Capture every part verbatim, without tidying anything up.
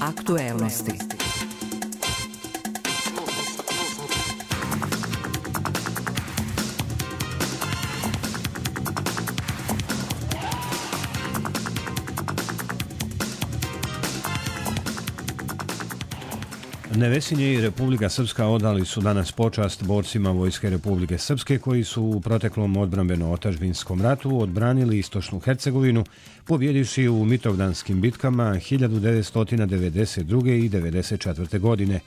Aktuelnosti. Nevesinje i Republika Srpska odali su danas počast borcima Vojske Republike Srpske koji su u proteklom odbrambeno-otadžbinskom ratu odbranili istočnu Hercegovinu, pobjedivši u Mitrovdanskim bitkama hiljadu devetsto devedeset druge i devedeset četvrte. godine.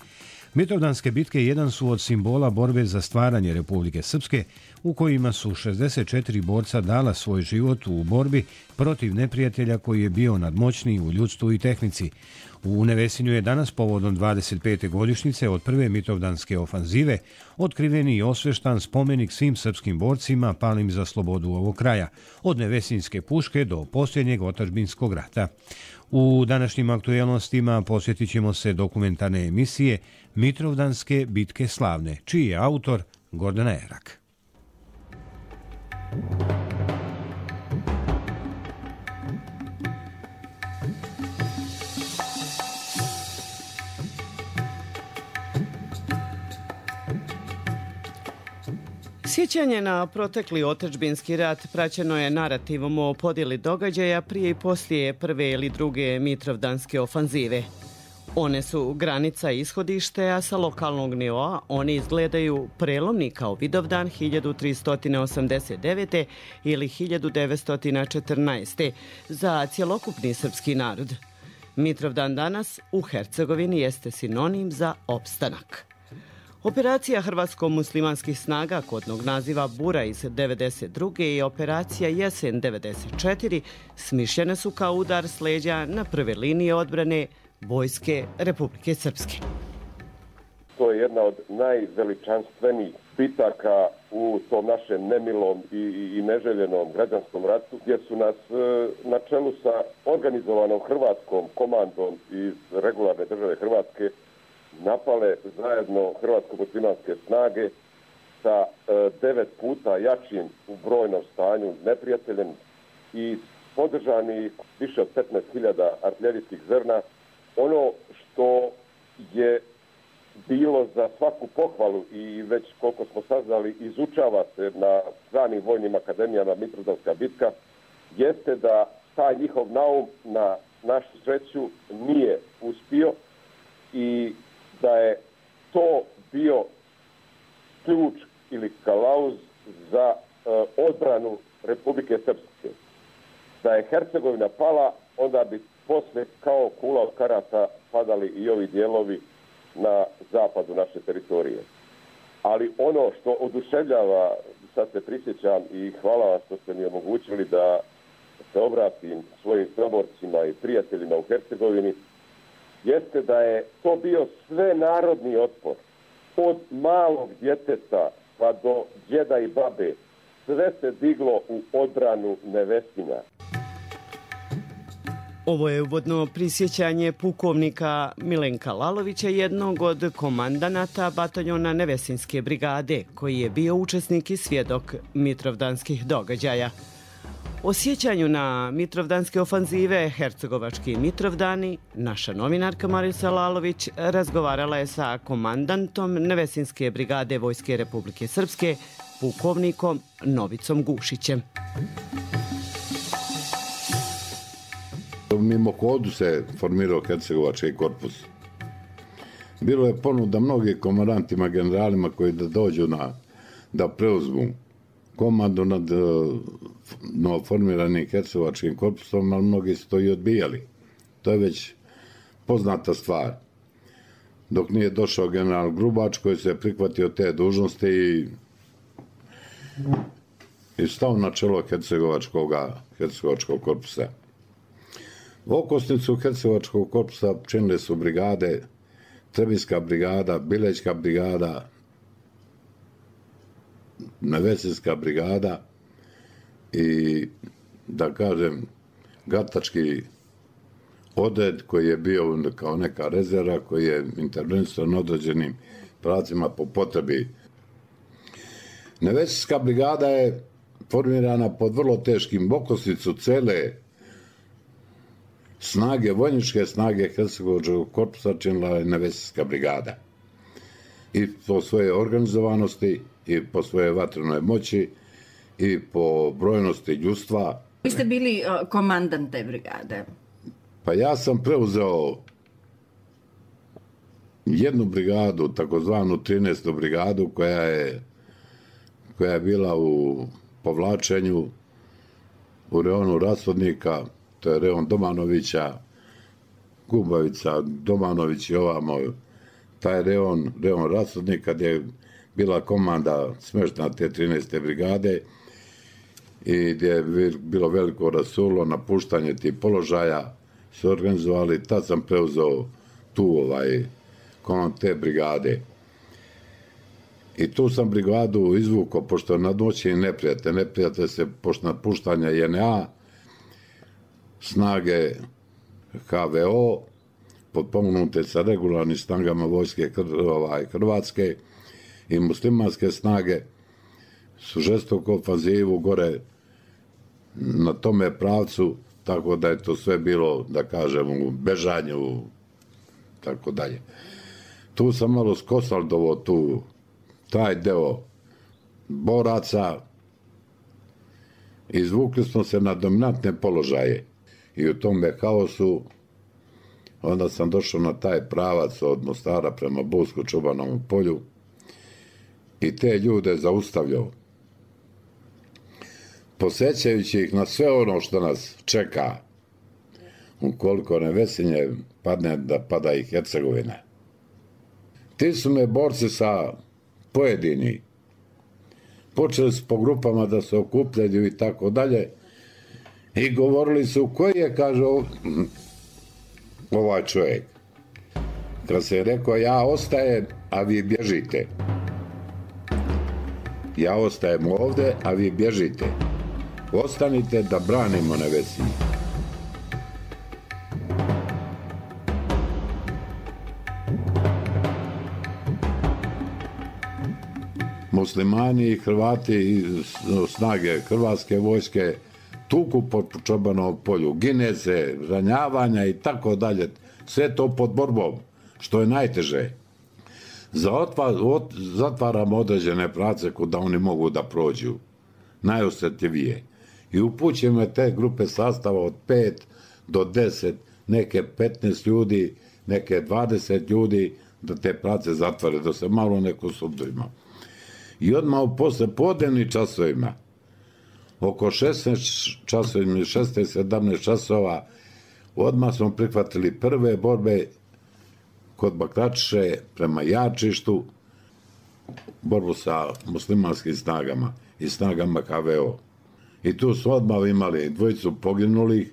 Mitrovdanske bitke jedan su od simbola borbe za stvaranje Republike Srpske, u kojima su šezdeset četiri borca dala svoj život u borbi protiv neprijatelja koji je bio nadmoćniji u ljudstvu i tehnici. U Nevesinju je danas povodom dvadeset pete godišnjice od prve Mitrovdanske ofanzive otkriven i osveštan spomenik svim srpskim borcima palim za slobodu ovog kraja, od Nevesinjske puške do posljednjeg otadžbinskog rata. U današnjim aktuelnostima posjetit ćemo se dokumentarne emisije Mitrovdanske bitke slavne, čiji je autor Gordana Erak. Sjećanje na protekli otadžbinski rat praćeno je narativom o podjeli događaja prije i poslije prve ili druge Mitrovdanske ofanzive. One su granica i ishodište, a sa lokalnog nivoa oni izgledaju prelomni kao Vidovdan hiljadu tristo osamdeset devete. ili hiljadu devetsto četrnaeste. za cjelokupni srpski narod. Mitrovdan danas u Hercegovini jeste sinonim za opstanak. Operacija hrvatsko-muslimanskih snaga kodnog naziva Bura iz devedeset druge i operacija Jesen devedeset četiri smišljene su kao udar s leđa na prve linije odbrane Vojske Republike Srpske. To je jedna od najveličanstvenijih bitaka u tom našem nemilom i, i, i neželjenom građanskom ratu, gdje su nas e, na čelu sa organizovanom hrvatskom komandom iz regularne države Hrvatske napale zajedno hrvatsko-muslimanske snage sa e, devet puta jačim u brojnom stanju neprijateljem i podržani više od petnaest hiljada artiljerijskih zrna. Ono što je bilo za svaku pohvalu i već koliko smo saznali izučava se na stranim vojnim akademijama Mitrovdanska bitka, jeste da taj njihov naum na našu sreću nije uspio i da je to bio ključ ili kalauz za uh, odbranu Republike Srpske. Da je Hercegovina pala, onda bi posle kao kula od karata padali i ovi dijelovi na zapadu naše teritorije. Ali ono što oduševljava, sad se prisjećam i hvala vam što ste mi omogućili da se obratim svojim saborcima i prijateljima u Hercegovini, jeste da je to bio sve narodni otpor. Od malog djeteta pa do djeda i babe sve se diglo u odbranu Nevesinja. Ovo je uvodno prisjećanje pukovnika Milenka Lalovića, jednog od komandanata bataljona Nevesinjske brigade, koji je bio učesnik i svjedok mitrovdanskih događaja. O sjećanju na Mitrovdanske ofanzive Hercegovački Mitrovdani naša novinarka Marisa Lalović razgovarala je sa komandantom Nevesinjske brigade Vojske Republike Srpske, pukovnikom Novicom Gušićem. Mimohodu se formirao Hercegovački korpus. Bilo je ponuda mnogih komandantima, generalima koji da dođu na, da preuzmu komandu nad novoformiranim Hercegovačkim korpusom, ali mnogi su to i odbijali. To je već poznata stvar. Dok nije došao general Grubač koji se prihvatio te dužnosti i, i stao na čelo Hercegovačkog, Hercegovačkog korpusa. Okosnicu Hercegovačkog korpusa činile su brigade, Trebinska brigada, Bilećka brigada, Nevesinjska brigada i, da kažem, Gatački odred koji je bio kao neka rezerva, koji je intervenisao na određenim pravcima po potrebi. Nevesinjska brigada je formirana pod vrlo teškim okosnicu cele snage, vojničke snage Hercegovačkog korpusa činila je Nevesijska brigada. I po svoje organizovanosti, i po svoje vatrenoj moći, i po brojnosti ljudstva. Vi ste bili uh, komandant te brigade. Pa ja sam preuzeo jednu brigadu, takozvanu trinaestu brigadu, koja je, koja je bila u povlačenju u reonu Rasvodnika, to je reon Domanovića, Gubavica, Domanović i ovamo, taj reon, reon Rasvodnika, gdje je bila komanda smeštena te trinaeste brigade i gdje je bilo veliko rasulo, napuštanje tih položaja, su organizovali, tad sam preuzeo tu ovaj, komand te brigade. I tu sam brigadu izvukao, pošto nadmoćni neprijatelj, neprijatelj se, pošto napuštanja J N A, snage H V O, potpomognute sa regularnim snagama vojske ovaj, Hrvatske i muslimanske snage, su žestoko ofanzivu gore na tome pravcu, tako da je to sve bilo, da kažem, u bežanju, tako dalje. Tu sam malo skosaldovo tu, taj deo boraca, izvukli smo se na dominantne položaje i u tome haosu onda sam došao na taj pravac od Mostara prema Busko-Čobanovom polju i te ljude zaustavljao, posjećajući ih na sve ono što nas čeka ukoliko Nevesinje padne, da pada i Hercegovina. Ti su me borci sa pojedini počeli su po grupama da se okupljaju i tako dalje i govorili su koji je, kaže, ovaj čovjek. Kad se je rekao ja ostajem, a vi bježite. Ja ostajem ovdje, a vi bježite. Ostanite da branimo Nevesinje. Muslimani i Hrvati i snage Hrvatske vojske tuku po Čobanovom polju, gine se, ranjavanja i tako dalje. Sve to pod borbom, što je najteže. Zatvaramo određene prace kuda oni mogu da prođu, najosjetljivije. I upućujemo te grupe sastava od pet do deset, neke petnaest ljudi, neke dvadeset ljudi, da te prace zatvore, da se malo neko sudima. I odmah u posle podnevnih časovima, oko šesnaest časova, šesnaest sedamnaest časova, odmah smo prihvatili prve borbe kod Bakračiše prema Jačištu, borbu sa muslimanskim snagama i snagama H V O. I tu smo odmah imali dvojicu poginulih,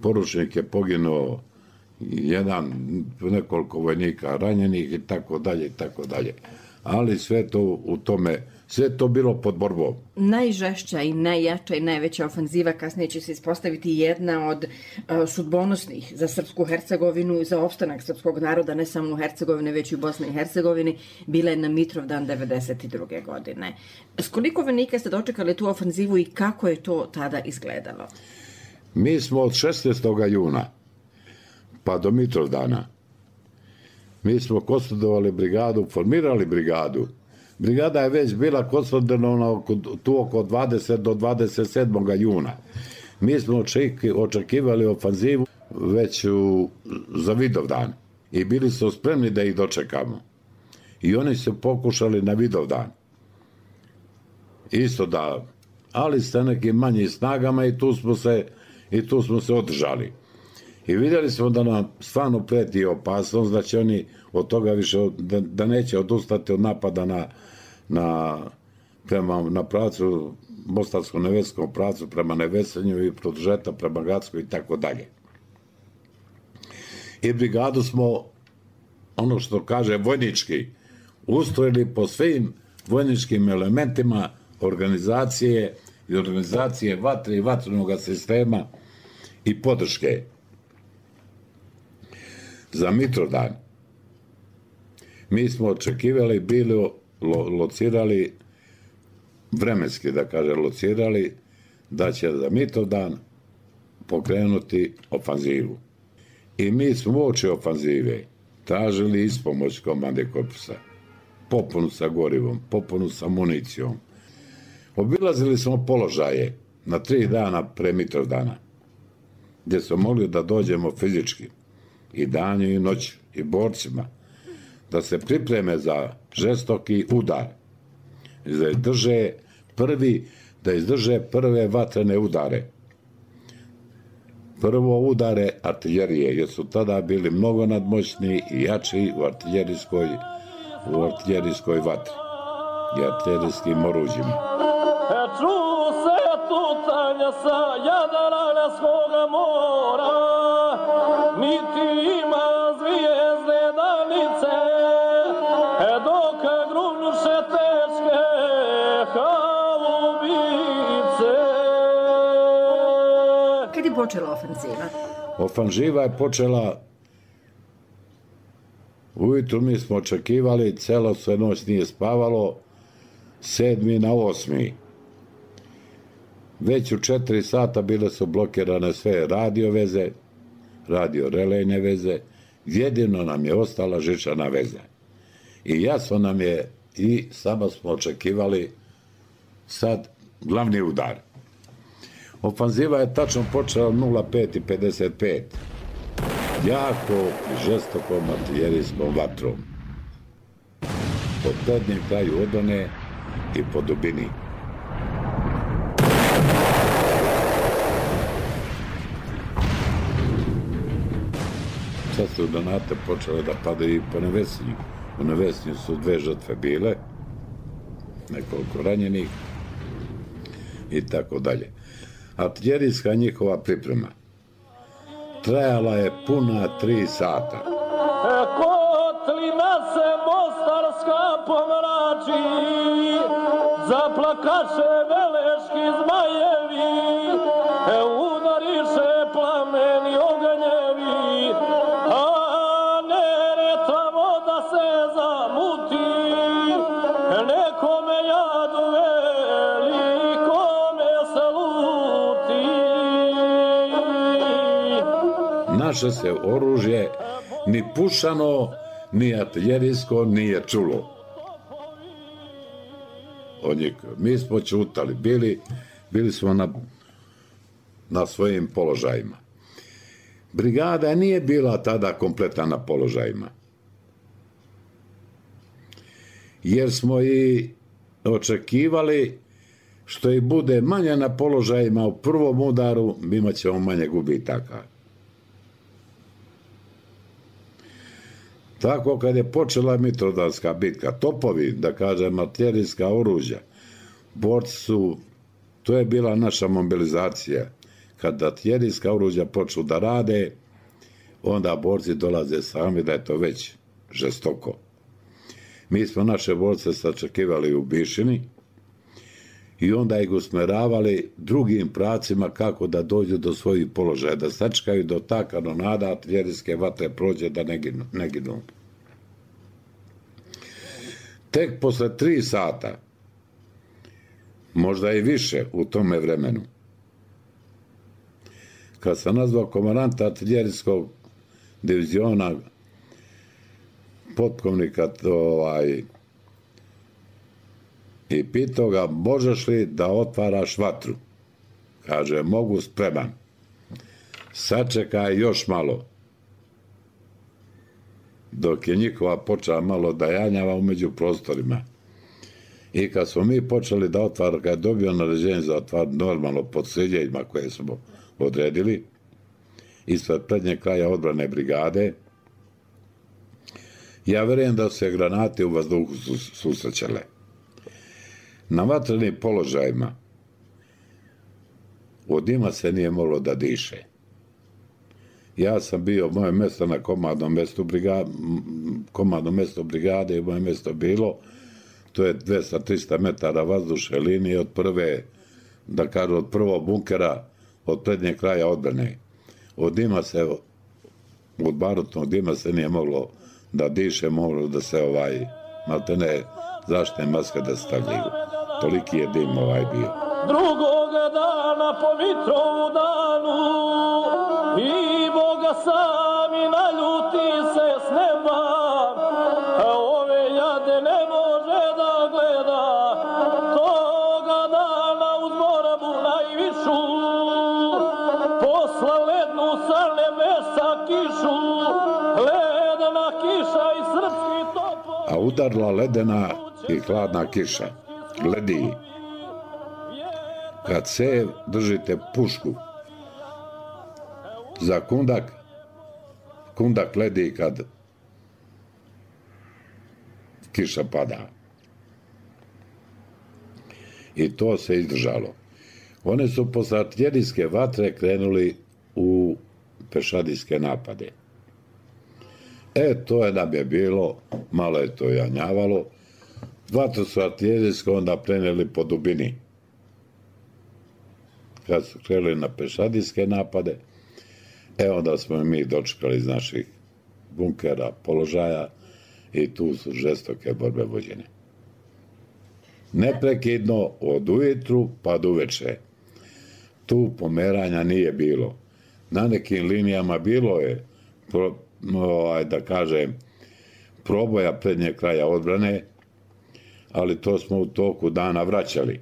poručnik je poginuo, jedan, nekoliko vojnika ranjenih i tako dalje i tako dalje. Ali sve to u tome, sve to bilo pod borbom. Najžešća i najjača i najveća ofenziva kasnije će se ispostaviti jedna od uh, sudbonosnih za Srpsku Hercegovinu i za opstanak srpskog naroda, ne samo u Hercegovini, već i u Bosni i Hercegovini, bila je na Mitrovdan devedeset druge godine. S koliko vojnika ste dočekali tu ofenzivu i kako je to tada izgledalo? Mi smo od šesnaestog juna pa do Mitrovdana, mi smo konsolidovali brigadu, formirali brigadu. Brigada je već bila konsolidovana tu oko dvadeset do dvadeset sedmog juna. Mi smo očekivali ofanzivu već u, za Vidovdan i bili su spremni da ih dočekamo. I oni su pokušali na Vidovdan. Isto da, ali sa nekim manjim snagama i tu smo se, i tu smo se održali. I vidjeli smo da nam stvarno preti opasnost, da će oni od toga više, da, da neće odustati od napada na, na, prema, na pracu, Mostarsko-Neveskom pracu prema Nevesinju i produžeta prema Gacku i tako dalje. I brigadu smo, ono što kaže vojnički, ustrojili po svim vojničkim elementima organizacije i organizacije vatre i vatrenog sistema i podrške. Za Mitrovdan mi smo očekivali, bili lo, locirali, vremenski da kaže locirali, da će za Mitrovdan pokrenuti ofanzivu. I mi smo uoči ofanzive tražili ispomoć komande korpusa. Popunu sa gorivom, popunu sa municijom. Obilazili smo položaje na tri dana pre Mitrovdana, gdje smo mogli da dođemo fizički i danju i noću i borcima, da se pripreme za žestoki udar, da izdrže prvi, da izdrže prve vatrene udare. Prvo udare artiljerije, jer su tada bili mnogo nadmoćniji i jači u artiljerijskoj, u artiljerijskoj vatri i artiljerijskim oruđima. Ču se tutanja sa Jadranskoga mora, niti ima zvijezde danice, dok grunuše teške haubice. Kad je počela ofenziva? Ofanziva je počela ujutru, mi smo očekivali, celo sve noć nije spavalo, sedmi na osmi. Već u četiri sata bile su blokirane sve radio veze, radio relejne veze, jedino nam je ostala žičana veza. I jasno nam je, i samo smo očekivali sad glavni udar. Ofanziva je tačno počela nula pet i pedeset pet. Jako i žestokom artiljerijskom vatrom. Po prednjem kraju odbrane i po dubini. Sad su granate počele da padaju i po Nevesinju. U Nevesinju su dve žrtve bile, nekoliko ranjenih i tako dalje. Artiljerijska njihova priprema trajala je puna tri sata. Kotlina se mostarska pomrači, zaplakaše veleški zmajevi, udariše plameni ognjevi, a Neretva voda se zamuti, nekome jadu velikome se luti. Naše se oružje ni pušano, ni artiljerijsko nije čulo. Od njih. Mi smo čutali, bili, bili smo na, na svojim položajima. Brigada nije bila tada kompletna na položajima. Jer smo i očekivali što i bude manje na položajima u prvom udaru, imat ćemo manje gubitaka. Tako kad je počela Mitrovdanska bitka, topovi, da kažem, artiljerijska oružja, borci su, to je bila naša mobilizacija. Kad artiljerijska oružja počnu da rade, onda borci dolaze sami da je to već žestoko. Mi smo naše borce sačekivali u Bišini i onda ih usmeravali drugim pravcima kako da dođu do svojih položaja, da sačekaju do ta kanonada artiljerijske vatre prođe da ne ginu. Ne ginu. Tek posle tri sata, možda i više u tome vremenu, kad sam nazvao komandanta artiljerijskog diviziona, potkovnika ovaj, i pitao ga, možeš li da otvaraš vatru? Kaže, mogu, spreman. Sačekaj još malo. Dok je njihova počela malo da janjava umeđu prostorima. I kad smo mi počeli da otvaramo, kad je dobio naređenje za otvar normalno pod sređenjima koje smo odredili, ispred prednjeg kraja odbrane brigade, ja verujem da se granate u vazduhu susrećale. Na vatrenim položajima od dima se nije moglo da diše. Ja sam bio, moje mjesto na komandnom mjestu brigade, komandnom mjestu brigade i moje mjesto bilo, to je dvesta do trista metara vazdušne linije od prve, da kažu, od prvog bunkera, od prednjeg kraja odbrane. Od dima se, od barutnog dima se nije moglo da diše, moglo da se ovaj, maltene zaštitne maske da stavljaju. Toliki je dim ovaj bio. Drugog dana po Mitrovu danu i Boga sam kišu, ledena kiša i srpski topol. A udarila ledena i hladna kiša, ledi. Kad cev držite pušku za kundak, kundak ledi kad kiša pada. I to se izdržalo. One su posle artiljerijske vatre krenuli u pešadijske napade. E, to je nam je bilo, malo je to janjavalo. Vatru su artiljerijske onda preneli po dubini. Kad su krenuli na pešadijske napade, e, onda smo mi dočekali iz naših bunkera, položaja i tu su žestoke borbe vođene. Neprekidno od ujutru pa do uveče. Tu pomeranja nije bilo. Na nekim linijama bilo je, pro, ovaj, da kažem, proboja prednjeg kraja odbrane, ali to smo u toku dana vraćali.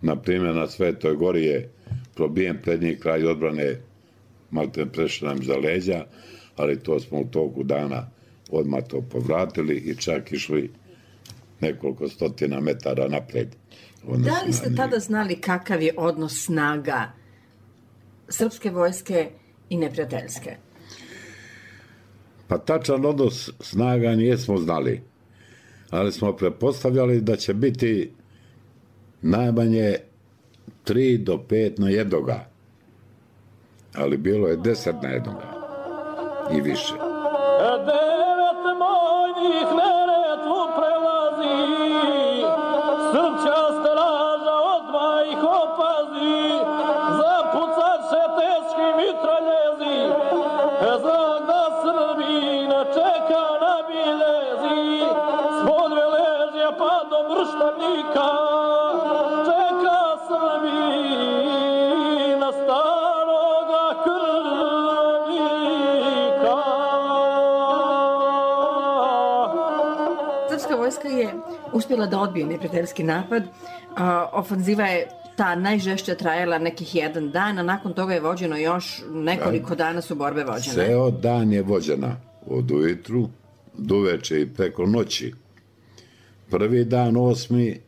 Naprimjer, na Svetoj Gori je probijen prednji kraj odbrane, malte prešli nam za leđa, ali to smo u toku dana odmah to povratili i čak išli nekoliko stotina metara napred. Da li ste tada znali kakav je odnos snaga srpske vojske i neprijateljske? Pa tačan odnos snaga nijesmo znali, ali smo pretpostavljali da će biti najmanje tri do pet na jednoga, ali bilo je deset na jednoga i više. Devet mojnih Neretvu prelazi, srpća straža odmah ih opazi, zapucat će teški mitraljezi, znak da Srbi ne čeka na biljezi, spod Veležja pa do Mrštanika, čeka Srbi na staroga krvnika. Srpska vojska je uspjela da odbije neprijateljski napad. A, ofanziva je ta najžešća trajala nekih jedan dan, a nakon toga je vođeno još nekoliko dana su borbe vođene. Ceo dan je vođena od ujutru do uveče i preko noći. Prvi dan osmi,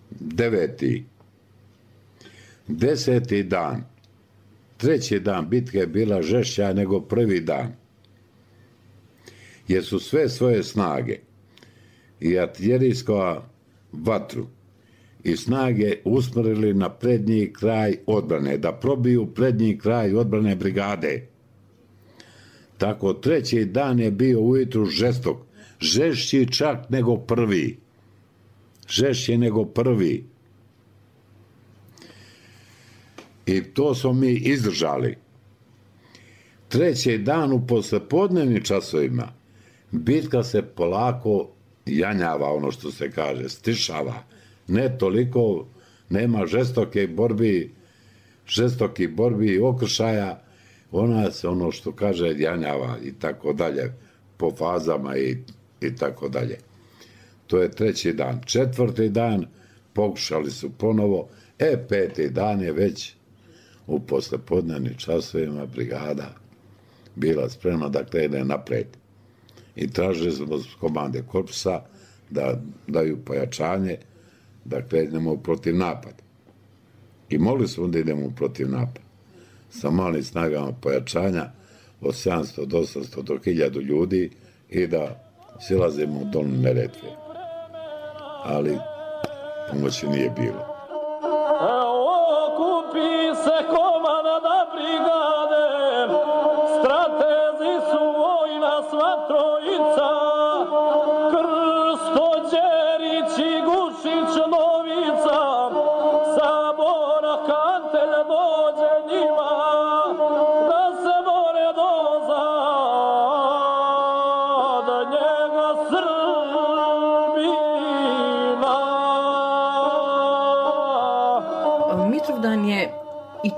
deveti, deseti dan, treći dan bitke je bila žešća nego prvi dan. Jer su sve svoje snage i artiljerijsko vatru i snage usmjerili na prednji kraj odbrane, da probiju prednji kraj odbrane brigade. Tako treći dan je bio ujutru žestok, žešći čak nego prvi. Žešći nego prvi. I to smo mi izdržali. Treći dan u poslepodnevnim časovima bitka se polako janjava, ono što se kaže, stišava. Ne toliko, nema žestoke borbi, žestoki borbi i okršaja, ona se ono što kaže janjava i tako dalje, po fazama i, i tako dalje. To je treći dan. Četvrti dan pokušali su ponovo, e peti dan je već u poslepodnevnim časovima brigada bila spremna da krene napred. I tražili smo s komande korpusa da daju pojačanje, da krenemo protiv napad. I mogli smo da idemo protiv napad. Sa malim snagama pojačanja od sedamsto do osamsto do hiljadu ljudi i da silazimo u dolnu Neretve. Ali pomoći nije bilo. Okupi se komanda brigade, stratezi su vojna sva trojica, Krsto, Đerić i Gušić Novica, Sabora Kantelj dođe njima, da se bore do zadnjega Srbina.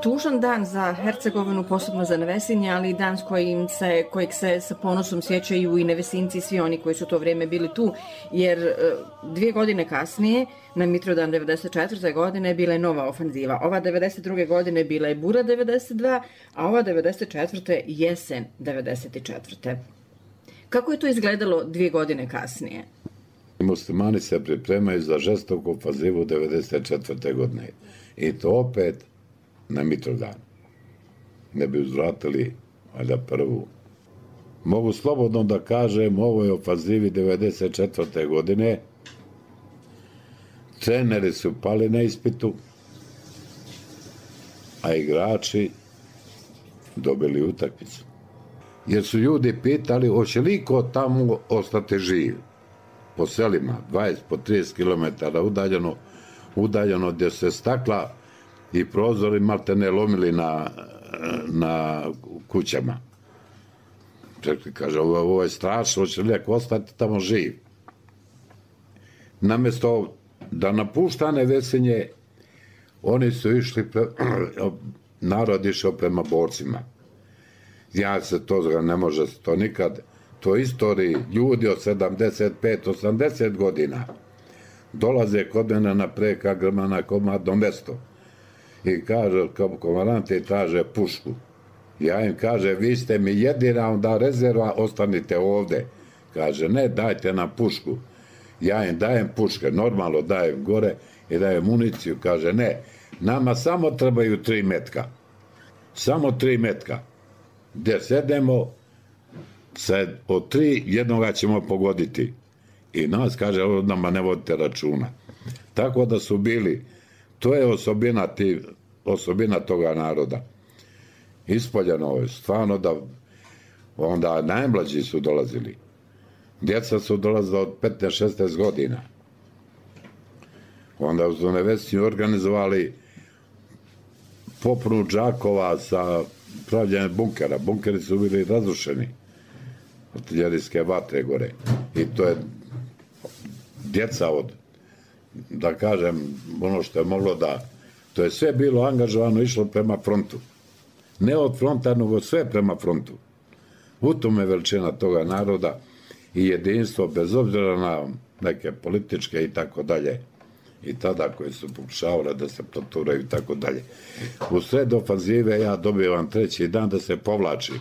tužan dan za Hercegovinu, posebno za Nevesinje, ali i dan s kojim se, kojeg se sa ponosom sjećaju i Nevesinci i svi oni koji su to vrijeme bili tu, jer dvije godine kasnije, na Mitrovdan devedeset četvrte godine, bila je nova ofanziva. Ova devedeset druge godine bila je Bura devedeset dva, a ova devedeset četvrte jesen devedeset četvrte Kako je to izgledalo dvije godine kasnije? Muslimani se pripremaju za žestoku ofanzivu devedeset četvrte godine. I to opet na Mitrovdan. Ne bi uzvratili, valjda prvu. Mogu slobodno da kažem, u ovoj ofanzivi devedeset četvrte godine treneri su pali na ispitu, a igrači dobili utakmicu. Jer su ljudi pitali, hoće li ko tamo ostati živ? Po selima, dvadeset po trideset kilometara udaljeno, udaljeno gdje se stakla i prozori maltene lomili na, na kućama. Čekaj, kaže, ovo, ovo je strašno, hoće li neko ostati tamo živ? Namjesto da napušta Nevesinje, oni su išli, pre, narod išao prema borcima. Ja se to, ne može se to nikad, to istoriji, ljudi od sedamdeset pet osamdeset godina dolaze kod mene na preka grma na komadno mesto i kaže, kao komandante traže pušku. Ja im kaže, vi ste mi jedina onda rezerva, ostanite ovde. Kaže, ne, dajte nam pušku. Ja im dajem puške, normalno dajem gore i dajem municiju. Kaže, ne, nama samo trebaju tri metka. Samo tri metka. Gdje sedemo, sad od tri jednoga ćemo pogoditi. I nas, kaže, ovo nama ne vodite računa. Tako da su bili, to je osobina, ti, osobina toga naroda. Ispoljeno je, stvarno da, onda najmlađi su dolazili. Djeca su dolazila od petnaest šesnaest godina. Onda su Nevesinju organizovali popunu džakova sa pravljenjem bunkera. Bunkeri su bili razrušeni. Artiljerijske vatre gore. I to je djeca od, da kažem, ono što je moglo da, to je sve bilo angažovano, išlo prema frontu. Ne od fronta, nego sve prema frontu. U tome veličina toga naroda i jedinstvo, bez obzira na neke političke i tako dalje, i tada koje su pokušavale da se proturaju i tako dalje. U sred ofanzive ja dobivam treći dan da se povlači.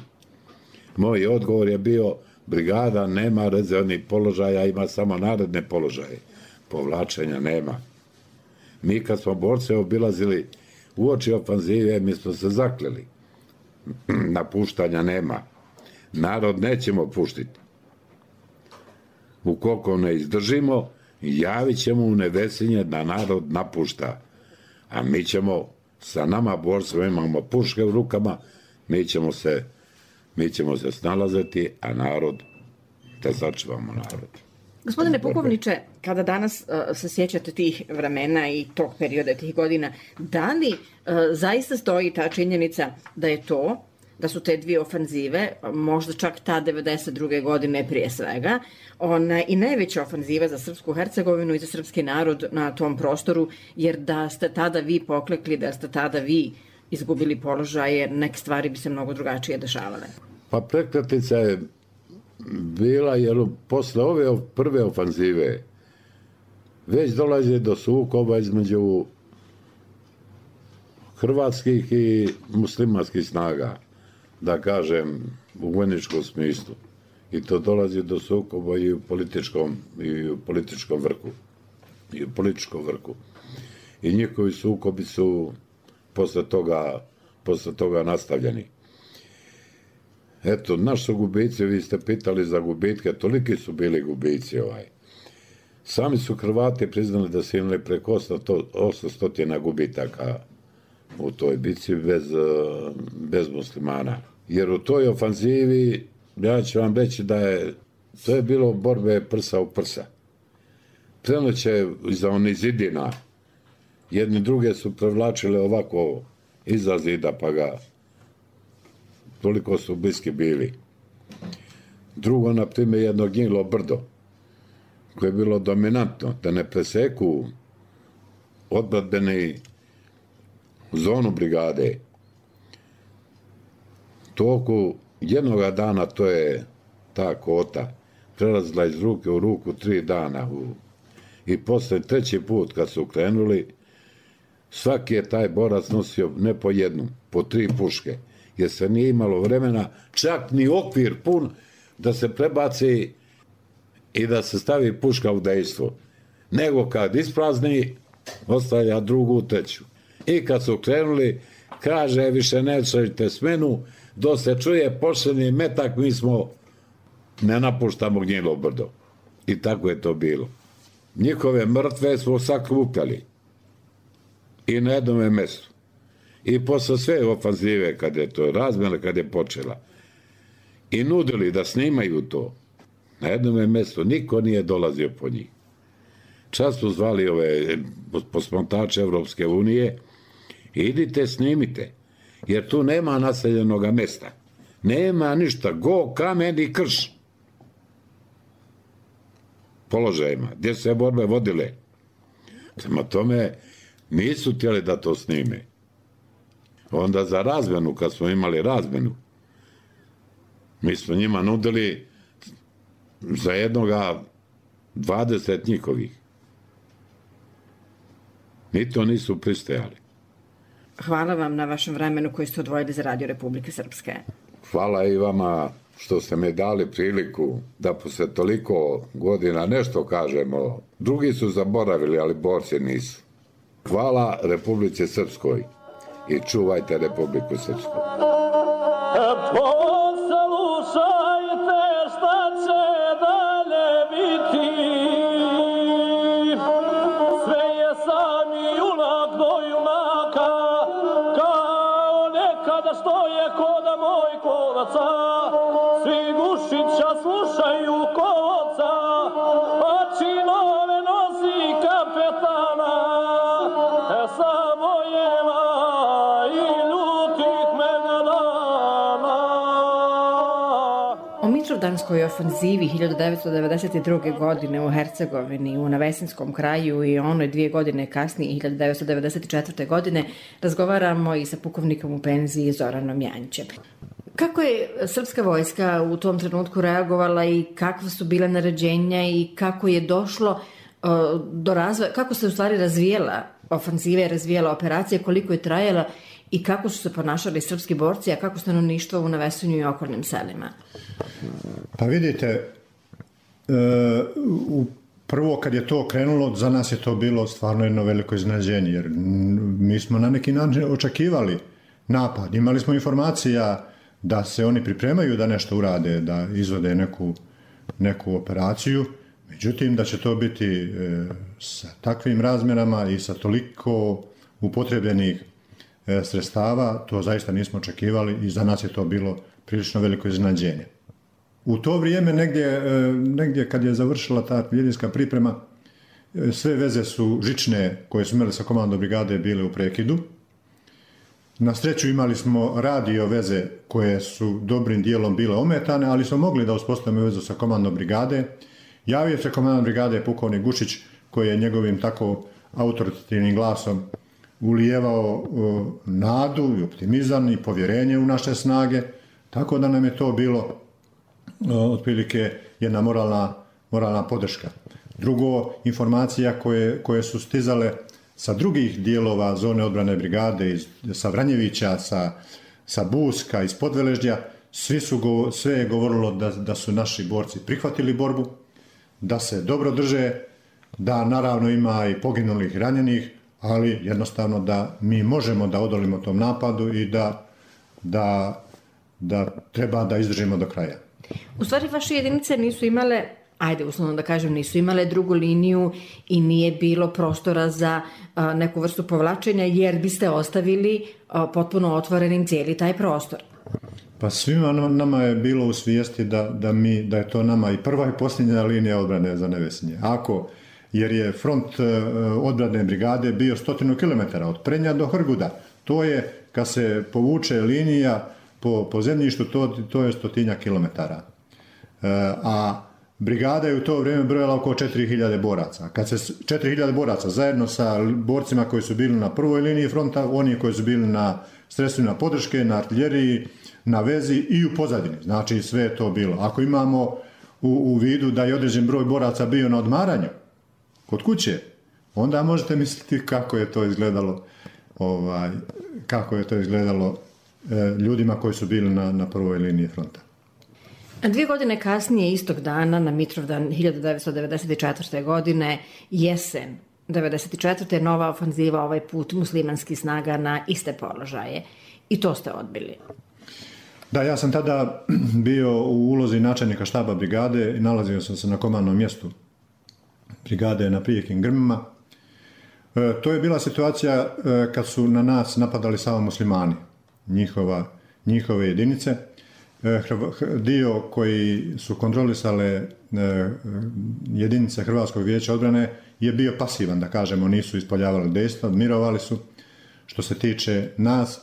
Moj odgovor je bio, brigada nema rezervnih položaja, ima samo naredne položaje. Povlačenja nema. Mi kad smo borce obilazili uoči ofanzive, mi smo se zakleli. Napuštanja nema. Narod nećemo puštiti. Ukoliko ne izdržimo, javit ćemo u Nevesinje da narod napušta. A mi ćemo, sa nama borcima imamo puške u rukama, mi ćemo se, mi ćemo se snalaziti, a narod, da sačuvamo narod. Gospodine pukovniče, kada danas uh, se sjećate tih vremena i tog perioda, tih godina, da li uh, zaista stoji ta činjenica da je to, da su te dvije ofanzive, možda čak ta devedeset druge godine prije svega, ona i najveća ofanziva za Srpsku Hercegovinu i za srpski narod na tom prostoru, jer da ste tada vi poklekli, da ste tada vi izgubili položaje, neke stvari bi se mnogo drugačije dešavale. Pa prekretnica je bila, jer posle ove prve ofanzive već dolazi do sukoba između hrvatskih i muslimanskih snaga, da kažem, u vojničkom smislu. I to dolazi do sukoba i u političkom, i u političkom vrhu. I u političkom vrhu. I njihovi sukobi su posle toga, posle toga nastavljeni. Eto, naši su gubici, vi ste pitali za gubitke, toliki su bili gubici ovaj. Sami su Hrvati priznali da su imali preko osamsto gubitaka u toj bici bez, bez muslimana. Jer u toj ofanzivi, ja ću vam reći da je, to je bilo borbe prsa u prsa. Prenoće iza onih zidina, jedni druge su prevlačile ovako iza zida, pa ga toliko su bliski bili. Drugo, na primjer, jedno gnjilo brdo, koje je bilo dominantno, da ne preseku odbranbeni zonu brigade, toku jednoga dana, to je ta kota prelazila iz ruke u ruku tri dana. U, I posle treći put kad su krenuli, svaki je taj borac nosio ne po jednu, po tri puške, jer se nije imalo vremena, čak ni okvir pun da se prebaci i da se stavi puška u dejstvo. Nego kad isprazni, ostavlja drugu, treću. I kad su krenuli, kaže, više nećete smenu, dok se čuje pošljeni metak, mi smo, ne napuštamo Gnjilo brdo. I tako je to bilo. Njihove mrtve smo sakupljali. I na jednome mjestu. I posle sve ofanzive, kad je to razmjena, kad je počela, i nudili da snimaju to, na jednome mjestu niko nije dolazio po njih. Čas su zvali ove posmatrače Evropske unije, idite snimite, jer tu nema naseljenoga mjesta. Nema ništa, go, kamen i krš. Položajima, gdje su se borbe vodile. Prema tome, nisu htjeli da to snime. Onda za razmjenu, kad smo imali razmjenu, mi smo njima nudili za jednoga dvadeset njihovih. Ni to nisu pristajali. Hvala vam na vašem vremenu koji ste odvojili za Radio Republike Srpske. Hvala i vama što ste mi dali priliku da posle toliko godina nešto kažemo. Drugi su zaboravili, ali borci nisu. Hvala Republici Srpskoj i čuvajte Republiku Srpsku. Poslušajte šta će dalje biti. Sve je sami junak do junaka, kao nekada što je koda moj kovaca. Svi Gušića slušaju kovaca, pa činove nosi kapetana. E samo jeva i ljutih mega dana. O Mitrovdanskoj ofanzivi hiljadu devetsto devedeset druge. godine u Hercegovini, u Navesinskom kraju i onoj dvije godine kasnije, hiljadu devetsto devedeset četvrte. godine, razgovaramo i sa pukovnikom u penziji Zoranom Janjčem. Kako je srpska vojska u tom trenutku reagovala i kakva su bile naređenja i kako je došlo uh, do razvoja, kako se u stvari razvijela ofanziva, razvijela operacija, koliko je trajala i kako su se ponašali srpski borci, a kako stanovništvo u Navesinju i okolnim selima? Pa vidite, e, u prvo kad je to krenulo, za nas je to bilo stvarno jedno veliko iznenađenje, jer mi smo na neki način očekivali napad. Imali smo informacija da se oni pripremaju da nešto urade, da izvode neku, neku operaciju, međutim da će to biti e, sa takvim razmjerama i sa toliko upotrebljenih e, sredstava, to zaista nismo očekivali i za nas je to bilo prilično veliko iznenađenje. U to vrijeme, negdje, e, negdje kad je završila ta artiljerijska priprema, e, sve veze su žične koje su imali sa komandom brigade bile u prekidu. Na sreću imali smo radio veze koje su dobrim dijelom bile ometane, ali smo mogli da uspostavimo vezu sa komandom brigade. Javio se komandant brigade pukovnik Gušić, koji je njegovim tako autoritativnim glasom ulijevao uh, nadu i optimizam i povjerenje u naše snage, tako da nam je to bilo uh, otprilike jedna moralna, moralna podrška. Drugo, informacija koje, koje su stizale sa drugih dijelova zone odbrane brigade, iz, sa Vranjevića, sa, sa Buska, iz Podveleždja, svi su, sve je govorilo da, da su naši borci prihvatili borbu, da se dobro drže, da naravno ima i poginulih ranjenih, ali jednostavno da mi možemo da odolimo tom napadu i da, da, da treba da izdržimo do kraja. U stvari vaše jedinice nisu imale, ajde uslovno da kažem, nisu imale drugu liniju i nije bilo prostora za a, neku vrstu povlačenja, jer biste ostavili a, potpuno otvorenim cijeli taj prostor. Pa svima nama je bilo u svijesti da, da, mi, da je to nama i prva i posljednja linija odbrane za Nevesinje. Ako, jer je front uh, odbrane brigade bio stotinu kilometara od Prenja do Hrguda. To je, kad se povuče linija po, po zemljištu, to, to je stotinja kilometara. Uh, a brigada je u to vrijeme brojala oko četiri hiljade boraca. Kad se četiri hiljade boraca zajedno sa borcima koji su bili na prvoj liniji fronta, oni koji su bili na sredstvima podrške, na artiljeriji, na vezi i u pozadini. Znači sve je to bilo. Ako imamo u, u vidu da je određen broj boraca bio na odmaranju kod kuće, onda možete misliti kako je to izgledalo, ovaj, kako je to izgledalo e, ljudima koji su bili na, na prvoj liniji fronta. A dvije godine kasnije, istog dana, na Mitrovdan hiljadu devetsto devedeset četvrte. godine, jesen devedeset četvrte. nova ofanziva, ovaj put muslimanskih snaga na iste položaje. I to ste odbili. Da, ja sam tada bio u ulozi načelnika štaba brigade i nalazio sam se na komandnom mjestu brigade na Prijekim Grmima. E, to je bila situacija e, kad su na nas napadali samo muslimani, njihova, njihove jedinice. E, dio koji su kontrolisale e, jedinice Hrvatskog vijeća odbrane je bio pasivan, da kažemo, nisu ispoljavali dejstva, mirovali su što se tiče nas,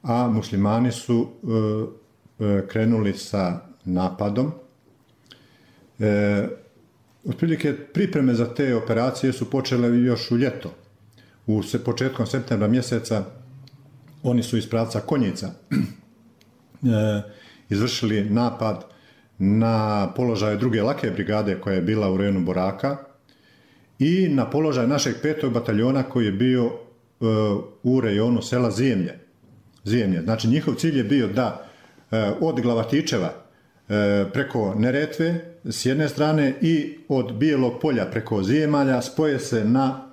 a muslimani su e, krenuli sa napadom. E, otprilike pripreme za te operacije su počele još u ljeto. U se, početkom septembra mjeseca oni su iz pravca Konjica e, izvršili napad na položaje druge lake brigade koja je bila u rejonu Boraka i na položaj našeg petog bataljona koji je bio e, u rejonu sela Zijemlje. Zijemlje. Znači njihov cilj je bio da od Glavatičeva preko Neretve s jedne strane i od Bijelog polja preko Zijemalja spoje se na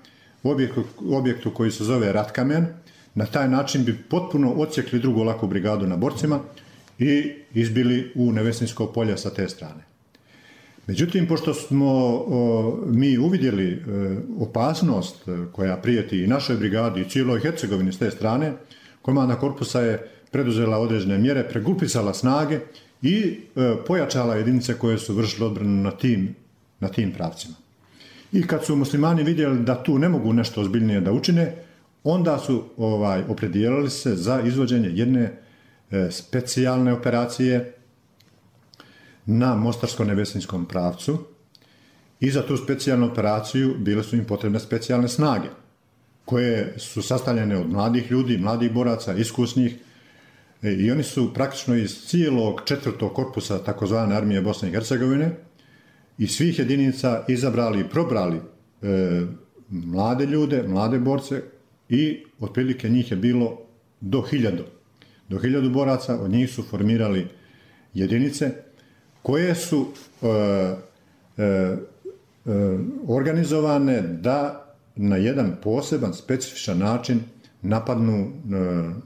objektu, objektu koji se zove Ratkamen. Na taj način bi potpuno odsjekli drugu laku brigadu na Borcima i izbili u Nevesinsko polje sa te strane. Međutim, pošto smo o, mi uvidjeli e, opasnost koja prijeti i našoj brigadi i cijeloj Hercegovini s te strane, komanda korpusa je preduzela određene mjere, pregrupisala snage i e, pojačala jedinice koje su vršile odbranu na tim, na tim pravcima. I kad su muslimani vidjeli da tu ne mogu nešto ozbiljnije da učine, onda su ovaj, opredijelili se za izvođenje jedne e, specijalne operacije na Mostarsko-Nevesinskom pravcu i za tu specijalnu operaciju bile su im potrebne specijalne snage koje su sastavljene od mladih ljudi, mladih boraca, iskusnih, i oni su praktično iz cijelog četvrtog korpusa takozvane armije Bosne i Hercegovine i svih jedinica izabrali i probrali e, mlade ljude, mlade borce i otprilike njih je bilo do hiljadu. Do hiljadu boraca, od njih su formirali jedinice koje su e, e, e, organizovane da na jedan poseban, specifičan način napadnu e,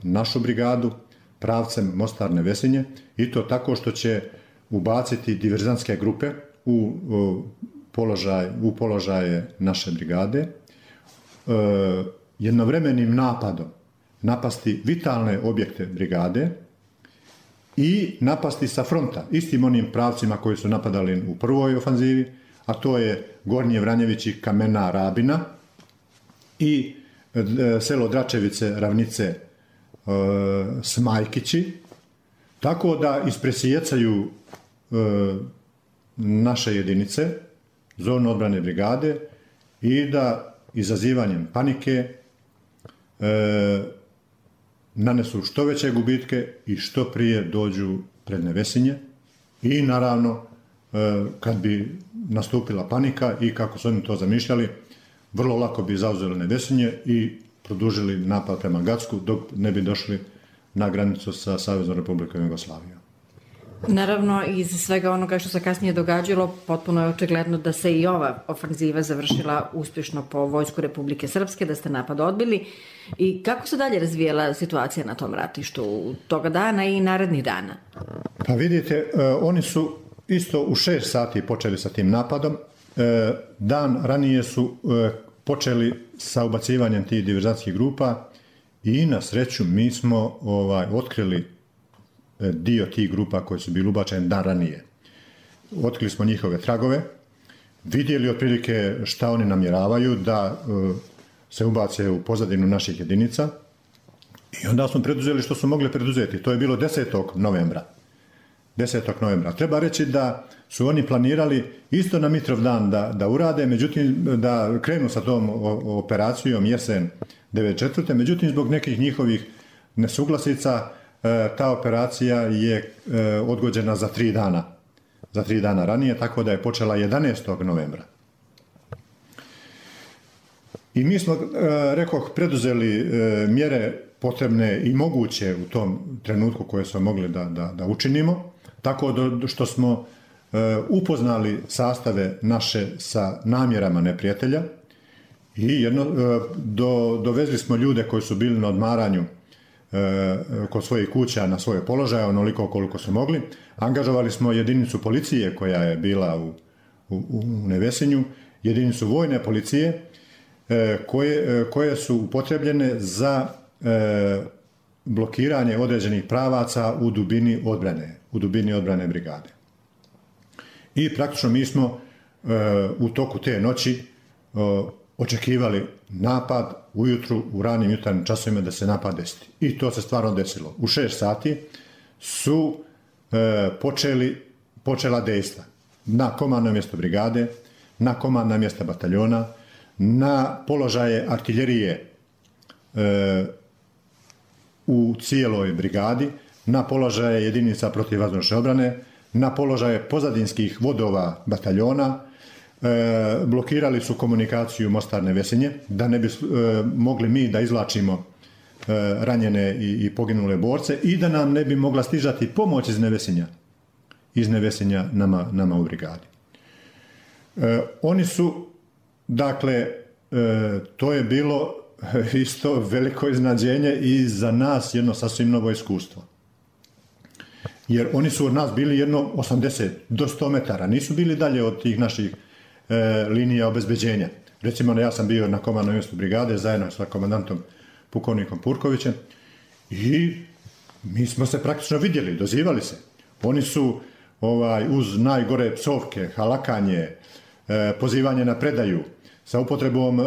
našu brigadu pravcem Mostar Nevesinje i to tako što će ubaciti diverzantske grupe u, u, položaj, u položaje naše brigade, e, jednovremenim napadom napasti vitalne objekte brigade i napasti sa fronta, istim onim pravcima koji su napadali u prvoj ofanzivi, a to je Gornje Vranjevići, Kamena, Rabina i e, selo Dračevice, Ravnice, e, Smajkići, tako da ispresijecaju e, naše jedinice, zonu odbrane brigade i da izazivanjem panike e, nanesu što veće gubitke i što prije dođu pred Nevesinje i naravno e, kad bi nastupila panika i kako su oni to zamišljali, vrlo lako bi zauzeli Nevesinje i produžili napad prema Gacku dok ne bi došli na granicu sa Saveznom Republikom Jugoslavijom. Naravno, iz svega onoga što se kasnije događalo, potpuno je očigledno da se i ova ofanziva završila uspješno po vojsku Republike Srpske, da ste napad odbili. I kako se dalje razvijela situacija na tom ratištu toga dana i narednih dana? Pa vidite, oni su isto u šest sati počeli sa tim napadom. Dan ranije su počeli sa ubacivanjem tih diverzantskih grupa i na sreću mi smo ovaj, otkrili dio tih grupa koji su bili ubačeni dan ranije. Otkrili smo njihove tragove, vidjeli otprilike šta oni namjeravaju da uh, se ubace u pozadinu naših jedinica i onda smo preduzeli što su mogli preduzeti. To je bilo desetog novembra. desetog novembra. Treba reći da su oni planirali isto na Mitrovdan da, da urade, međutim da krenu sa tom operacijom jesen devedeset četvrte. Međutim, zbog nekih njihovih nesuglasica, ta operacija je odgođena za tri dana. Za tri dana ranije, tako da je počela jedanaestog novembra. I mi smo, rekoh, preduzeli mjere potrebne i moguće u tom trenutku koje smo mogli da, da, da učinimo, tako do, što smo upoznali sastave naše sa namjerama neprijatelja i jedno, do, dovezli smo ljude koji su bili na odmaranju kod svojih kuća na svoje položaje, onoliko koliko su mogli. Angažovali smo jedinicu policije koja je bila u, u, u Nevesinju, jedinicu vojne policije koje, koje su upotrebljene za e, blokiranje određenih pravaca u dubini odbrane, u dubini odbrane brigade. I praktično mi smo e, u toku te noći e, očekivali napad ujutru, u ranim jutarnjim časovima da se napad desi. I to se stvarno desilo. U šest sati su e, počeli, počela dejstva na komandno mjesto brigade, na komandna mjesta bataljona, na položaje artiljerije e, u cijeloj brigadi, na položaje jedinica protivvazdušne obrane, na položaje pozadinskih vodova bataljona, e, blokirali su komunikaciju Mostar-Nevesinje, da ne bi e, mogli mi da izvlačimo e, ranjene i, i poginule borce i da nam ne bi mogla stižati pomoć iz Nevesinja, iz Nevesinja nama, nama u brigadi. E, oni su, dakle, e, to je bilo isto veliko iznenađenje i za nas jedno sasvim novo iskustvo. Jer oni su od nas bili jedno osamdeset do sto metara, nisu bili dalje od tih naših e, linija obezbeđenja. Recimo, ja sam bio na komandnom mjestu brigade zajedno sa komandantom pukovnikom Purkovićem i mi smo se praktično vidjeli, dozivali se. Oni su ovaj, uz najgore psovke, halakanje, e, pozivanje na predaju, sa upotrebom e,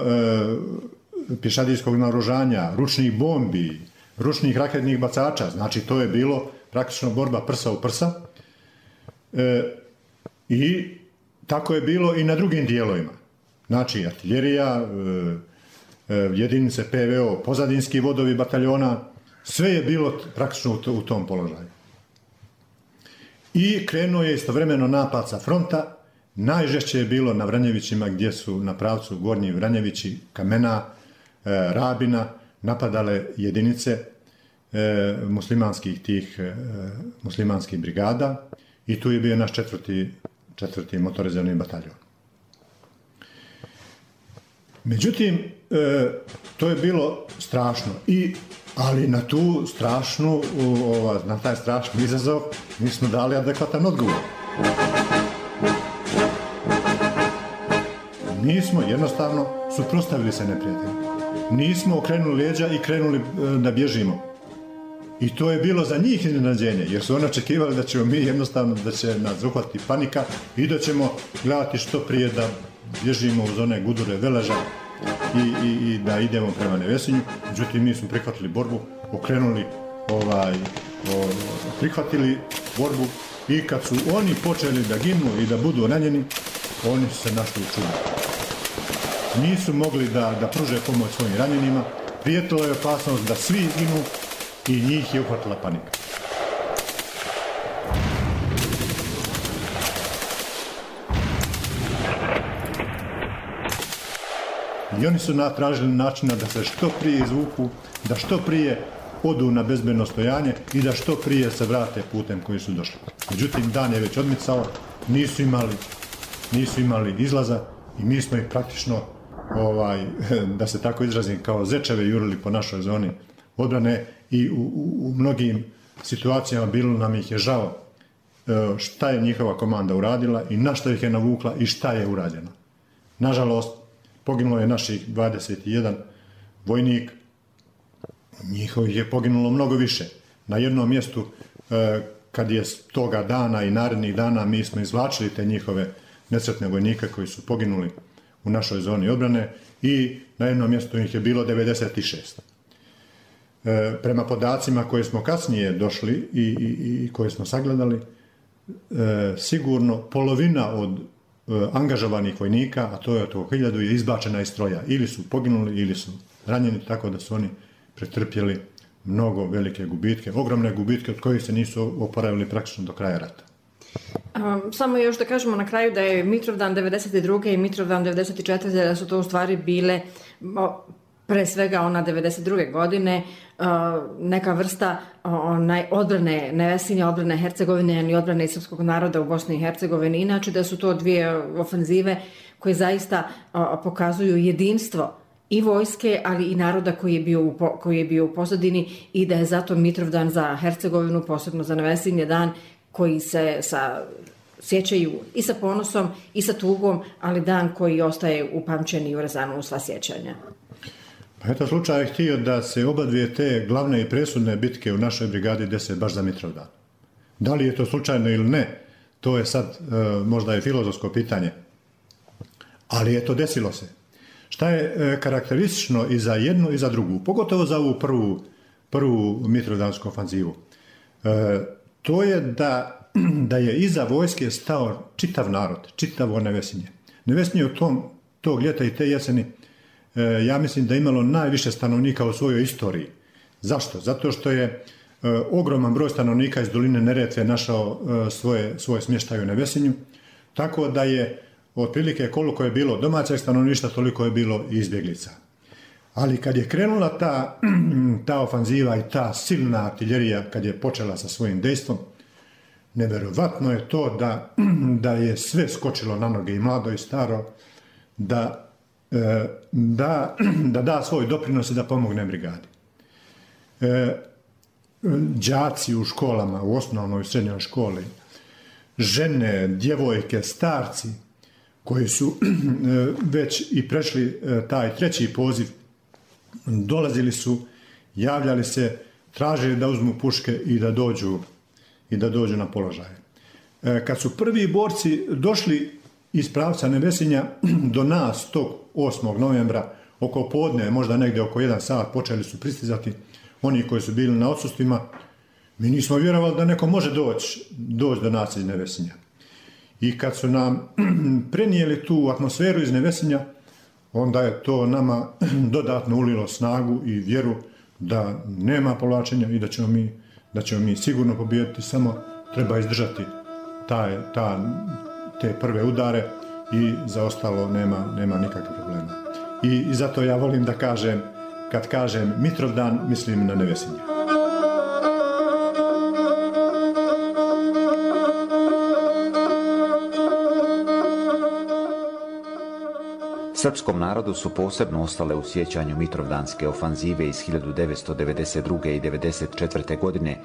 pješadijskog naoružanja, ručnih bombi, ručnih raketnih bacača, znači to je bilo praktično borba prsa u prsa. E, I tako je bilo i na drugim dijelovima. Znači, artiljerija, e, e, jedinice P V O, pozadinski vodovi bataljona, sve je bilo praktično u, u tom položaju. I krenuo je istovremeno napad sa fronta. Najžešće je bilo na Vranjevićima, gdje su na pravcu Gornji Vranjevići, Kamena, e, Rabina napadale jedinice e, muslimanskih tih e, muslimanskih brigada i tu je bio naš četvrti, četvrti motorizirani bataljon. Međutim, e, to je bilo strašno, i, ali na tu strašnu, ova, na taj strašni izazov mi smo dali adekvatan odgovor. Nismo jednostavno suprotstavili se neprijatelju. Nismo okrenuli leđa i krenuli da bježimo. I to je bilo za njih iznenađenje, jer su oni očekivali da ćemo mi jednostavno, da će nas uhvatiti panika i da ćemo gledati što prije da bježimo uz one gudure Veleža i, i, i da idemo prema Nevesinju. Međutim, mi smo prihvatili borbu, okrenuli, ovaj, o, prihvatili borbu i kad su oni počeli da ginu i da budu ranjeni, oni su se našli u čudu. Nisu mogli da, da pruže pomoć svojim ranjenima, prijetila je opasnost da svi izginu i njih je uhvatila panika. I oni su tražili načina da se što prije izvuku, da što prije odu na bezbedno stojanje i da što prije se vrate putem koji su došli. Međutim, dan je već odmicao, nisu imali, nisu imali izlaza i mi smo ih praktično, ovaj, da se tako izrazim, kao zečeve jurili po našoj zoni odbrane i u, u, u mnogim situacijama bilo nam ih je žao šta je njihova komanda uradila i na što ih je navukla i šta je urađeno. Nažalost, poginulo je naših dvadeset jedan vojnik, njihovih je poginulo mnogo više. Na jednom mjestu, kad je toga dana i narednih dana, mi smo izvlačili te njihove nesretne vojnike koji su poginuli u našoj zoni odbrane i na jednom mjestu ih je bilo devedeset šest. E, prema podacima koje smo kasnije došli i, i, i koje smo sagledali, e, sigurno polovina od e, angažovanih vojnika, a to je oko hiljadu, je izbačena iz stroja. Ili su poginuli, ili su ranjeni, tako da su oni pretrpjeli mnogo velike gubitke, ogromne gubitke od kojih se nisu oporavili praktično do kraja rata. Um, samo još da kažemo na kraju da je Mitrovdan devedeset druge i Mitrovdan devedeset četvrte da su to u stvari bile o, pre svega ona devedeset druge godine uh, neka vrsta onaj odbrane Nevesinja, odbrane Hercegovine i odbrane srpskog naroda u Bosni i Hercegovini. Inače da su to dvije ofenzive koje zaista uh, pokazuju jedinstvo i vojske, ali i naroda koji je bio u, po, koji je bio u pozadini i da je zato Mitrovdan za Hercegovinu, posebno za Nevesinje, dan koji se sa, sjećaju i sa ponosom i sa tugom, ali dan koji ostaje upamćen i urezan u sva sjećanja. Pa eto, slučaj je htio da se oba dvije te glavne i presudne bitke u našoj brigadi dese baš za Mitrovdan. Da li je to slučajno ili ne, to je sad e, možda je filozofsko pitanje. Ali je to desilo se. Šta je e, karakteristično i za jednu i za drugu, pogotovo za ovu prvu, prvu Mitrovdansku ofanzivu. E, to je da, da je iza vojske stao čitav narod, čitavo Nevesinje. Nevesinje u tom, tog ljeta i te jeseni, e, ja mislim da je imalo najviše stanovnika u svojoj istoriji. Zašto? Zato što je e, ogroman broj stanovnika iz doline Neretve našao e, svoje, svoje smještaje u Nevesinju, tako da je otprilike koliko je bilo domaćeg stanovništva, toliko je bilo i izbjeglica. Ali kad je krenula ta, ta ofanziva i ta silna artiljerija, kad je počela sa svojim dejstvom, nevjerovatno je to da, da je sve skočilo na noge, i mlado i staro, da, da, da da svoj doprinos i da pomogne brigadi. Đaci u školama, u osnovnoj i srednjoj školi, žene, djevojke, starci, koji su već i prešli taj treći poziv, dolazili su, javljali se, tražili da uzmu puške i da dođu, i da dođu na položaje. Kad su prvi borci došli iz pravca Nevesinja do nas tog osmog novembra, oko podne, možda negdje oko jedan sat, počeli su pristizati oni koji su bili na odsustvima, mi nismo vjerovali da neko može doći, doći do nas iz Nevesinja. I kad su nam prenijeli tu atmosferu iz Nevesinja, onda je to nama dodatno ulilo snagu i vjeru da nema povlačenja i da ćemo mi, da ćemo mi sigurno pobijediti, samo treba izdržati taj, ta, te prve udare i za ostalo nema, nema nikakvih problema. I, I zato ja volim da kažem, kad kažem Mitrovdan, mislim na Nevesinje. Srpskom narodu su posebno ostale u sjećanju Mitrovdanske ofanzive iz hiljadu devetsto devedeset druge i devedeset četvrte. godine,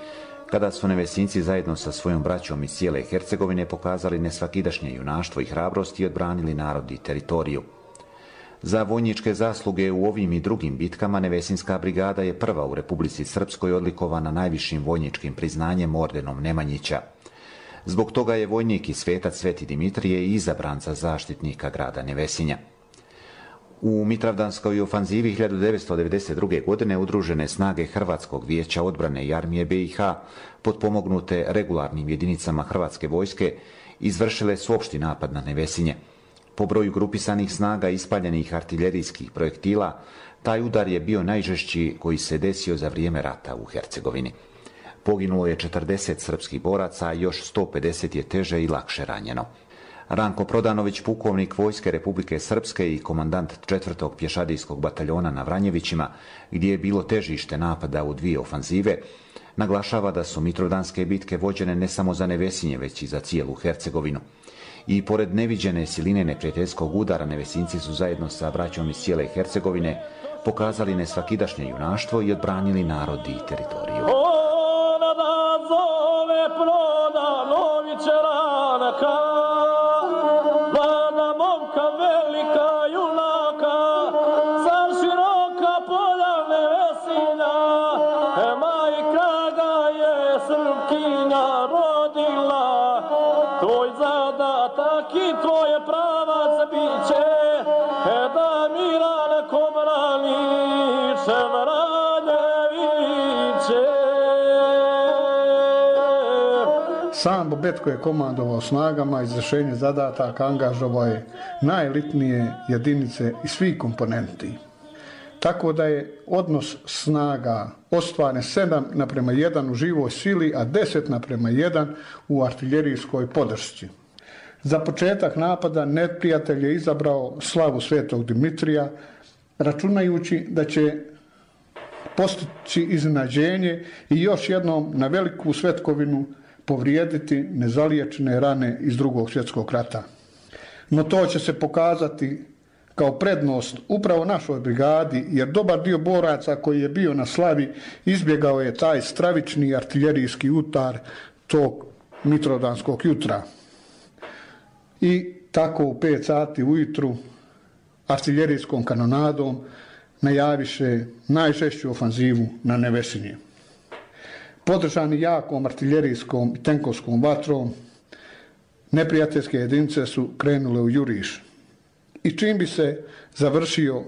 kada su Nevesinci zajedno sa svojom braćom iz cijele Hercegovine pokazali nesvakidašnje junaštvo i hrabrost i odbranili narod i teritoriju. Za vojničke zasluge u ovim i drugim bitkama Nevesinska brigada je prva u Republici Srpskoj odlikovana najvišim vojničkim priznanjem ordenom Nemanjića. Zbog toga je vojnik i svetac Sveti Dimitrije izabran za zaštitnika grada Nevesinja. U Mitrovdanskoj ofanzivi hiljadu devetsto devedeset druge. godine udružene snage Hrvatskog vijeća odbrane i armije B i H, potpomognute regularnim jedinicama Hrvatske vojske, izvršile su opšti napad na Nevesinje. Po broju grupisanih snaga i ispaljenih artiljerijskih projektila, taj udar je bio najžešći koji se desio za vrijeme rata u Hercegovini. Poginulo je četrdeset srpskih boraca, a još sto pedeset je teže i lakše ranjeno. Ranko Prodanović, pukovnik Vojske Republike Srpske i komandant četvrtog pješadijskog bataljona na Vranjevićima, gdje je bilo težište napada u dvije ofanzive, naglašava da su Mitrovdanske bitke vođene ne samo za Nevesinje, već i za cijelu Hercegovinu. I pored neviđene siline neprijateljskog udara, Nevesinci su zajedno sa braćom iz cijele Hercegovine pokazali nesvakidašnje junaštvo i odbranili narod i teritoriju. Ona da zove Prodanovića ranaka, mlada momka velika junaka, sa široka polja Nevesinja, e majka ga je Srpkinja rodila, tvoj zadatak i tvoje pravac biće, e da Milan Kobranić Vranjeviće. Sam Bobetko je komandovao snagama, izvršenje zadataka, angažovao je najelitnije jedinice i svih komponenti. tako da je odnos snaga ostvaren sedam naprema jedan u živoj sili, a deset naprema jedan u artiljerijskoj podršci. Za početak napada neprijatelj je izabrao slavu Svetog Dimitrija, računajući da će postići iznenađenje i još jednom na veliku svetkovinu povrijediti nezaliječene rane iz Drugog svjetskog rata. No to će se pokazati kao prednost upravo našoj brigadi, jer dobar dio boraca koji je bio na slavi izbjegao je taj stravični artiljerijski utar tog mitrovdanskog jutra. I tako u pet sati ujutru artiljerijskom kanonadom najaviše najžešću ofanzivu na Nevesinje. Podržani jakom artiljerijskom i tenkovskom vatrom, neprijateljske jedinice su krenule u juriš. I čim bi se završio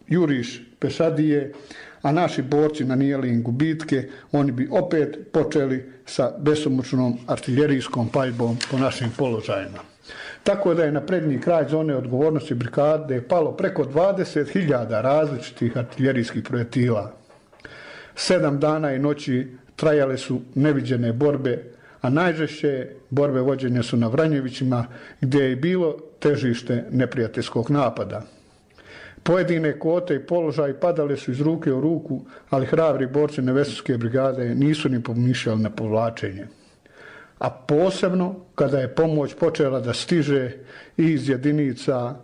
juriš pešadije, a naši borci nanijeli im gubitke, oni bi opet počeli sa besomučnom artiljerijskom paljbom po našim položajima. Tako da je na prednji kraj zone odgovornosti brigade palo preko dvadeset hiljada različitih artiljerijskih projektila. Sedam dana i noći trajale su neviđene borbe, a najžešće borbe vođenja su na Vranjevićima, gdje je bilo težište neprijateljskog napada. Pojedine kote i položaji padale su iz ruke u ruku, ali hrabri borci Nevesinske brigade nisu ni pomišljali na povlačenje. A posebno kada je pomoć počela da stiže iz jedinica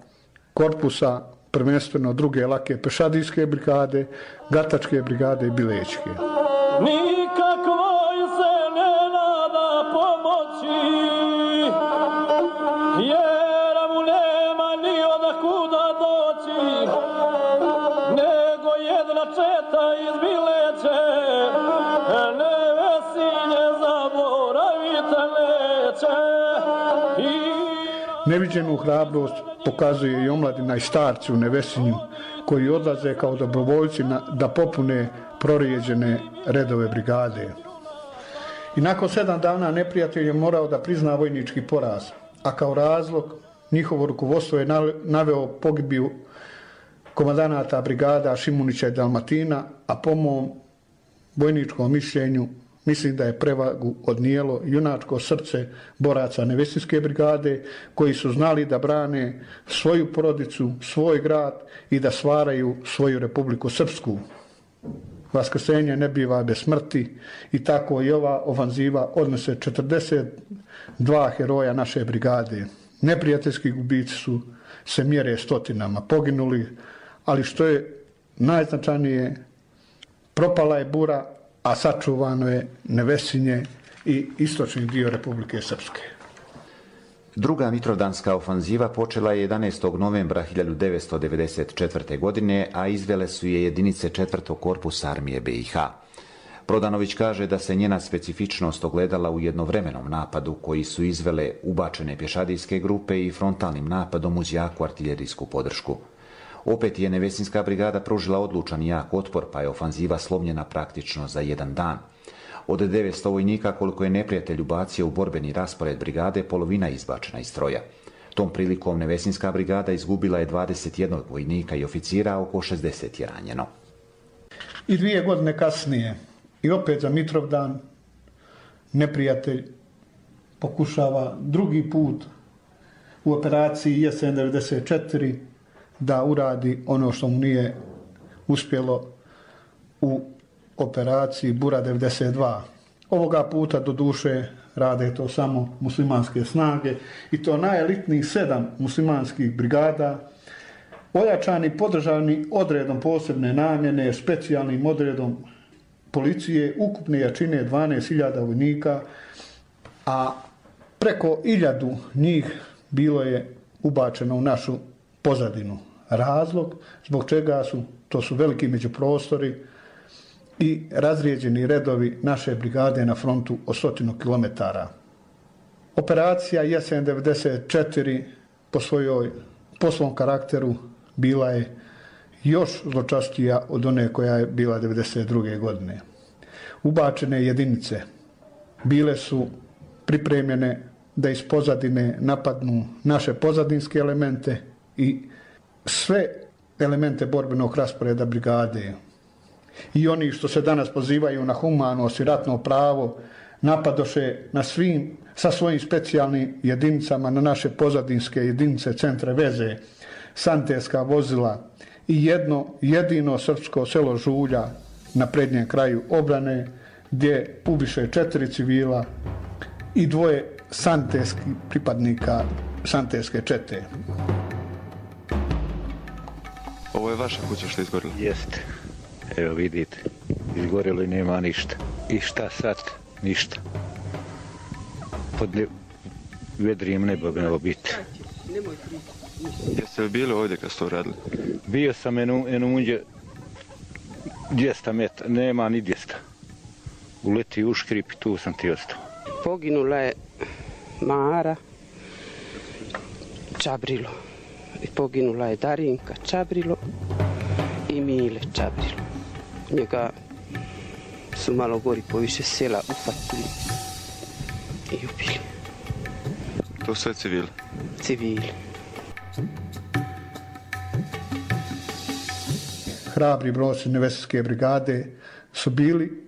korpusa, prvenstveno druge lake pešadijske brigade, gatačke brigade i bilećke. Nikakvoj se ne nada pomoći, jer mu nema ni odakuda doći, nego jedna četa iz Bileće, Nevesinje zaboravite neće. Neviđenu hrabrost pokazuje i omladina i starci u Nevesinju, koji odlaze kao dobrovoljci na, da popune prorijeđene redove brigade. I nakon sedam dana neprijatelj je morao da prizna vojnički poraz, a kao razlog njihovo rukovodstvo je naveo pogibiju komandanata brigada Šimunića i Dalmatina, a po mom vojničkom mišljenju mislim da je prevagu odnijelo junačko srce boraca Nevesinske brigade, koji su znali da brane svoju porodicu, svoj grad i da stvaraju svoju Republiku Srpsku. Vaskrsenje ne biva bez smrti i tako i ova ofanziva odnose četrdeset dva heroja naše brigade. Neprijateljski gubici su se mjere stotinama poginuli, ali što je najznačajnije, propala je Bura, a sačuvano je Nevesinje i istočni dio Republike Srpske. Druga mitrovdanska ofanziva počela je jedanaestog novembra hiljadu devetsto devedeset četvrte. godine, a izvele su je jedinice četvrtog korpusa armije B i H. Prodanović kaže da se njena specifičnost ogledala u jednovremenom napadu koji su izvele ubačene pješadijske grupe i frontalnim napadom uz jaku artiljerijsku podršku. Opet je Nevesinska brigada pružila odlučan i jak otpor, pa je ofanziva slomljena praktično za jedan dan. Od devetsto vojnika koliko je neprijatelj ubacio u borbeni raspored brigade, polovina izbačena iz stroja. Tom prilikom Nevesinska brigada izgubila je dvadeset jedan vojnika i oficira, a oko šezdeset je ranjeno. I dvije godine kasnije, i opet za Mitrovdan, neprijatelj pokušava drugi put u operaciji Jesen devedeset četiri da uradi ono što mu nije uspjelo u operaciji Bura devedeset dva. Ovoga puta do duše rade to samo muslimanske snage i to najelitnijih sedam muslimanskih brigada, ojačani, podržani odredom posebne namjene, specijalnim odredom policije, ukupne jačine dvanaest hiljada vojnika, a preko hiljadu njih bilo je ubačeno u našu pozadinu. Razlog zbog čega su, to su veliki međuprostori i razrijeđeni redovi naše brigade na frontu od stotinu kilometara. Operacija Jesen devedeset četiri po svojoj po svom karakteru bila je još zločastija od one koja je bila devedeset druge. godine. Ubačene jedinice bile su pripremljene da iz pozadine napadnu naše pozadinske elemente i sve elemente borbenog rasporeda brigade. I oni što se danas pozivaju na humanost i ratno pravo napadoše na svim, sa svojim specijalnim jedinicama na naše pozadinske jedinice, centre veze, santerska vozila i jedno jedino srpsko selo Žulja na prednjem kraju obrane gdje ubiše četiri civila i dvoje santerskih pripadnika santerske čete. Ovo je vaša kuća što je izgorila? Jeste. Evo vidite, izgorilo i nema ništa. I šta sad? Ništa. Pod ne... vedrijem nebo bi nebo biti. Jeste li bili ovdje kad ste to radili? Bio sam enu, enu unđe dvjesto metara, nema ni dvjesto. Uleti u škrip i tu sam ti ostao. Poginula je Mara Čabrilo. I poginula je Darinka Čabrilo i Mile Čabrilo. Njega su malo gori po više sela upatili i ubili. To sve civili? Civili. Hrabri borci Nevesinske brigade su bili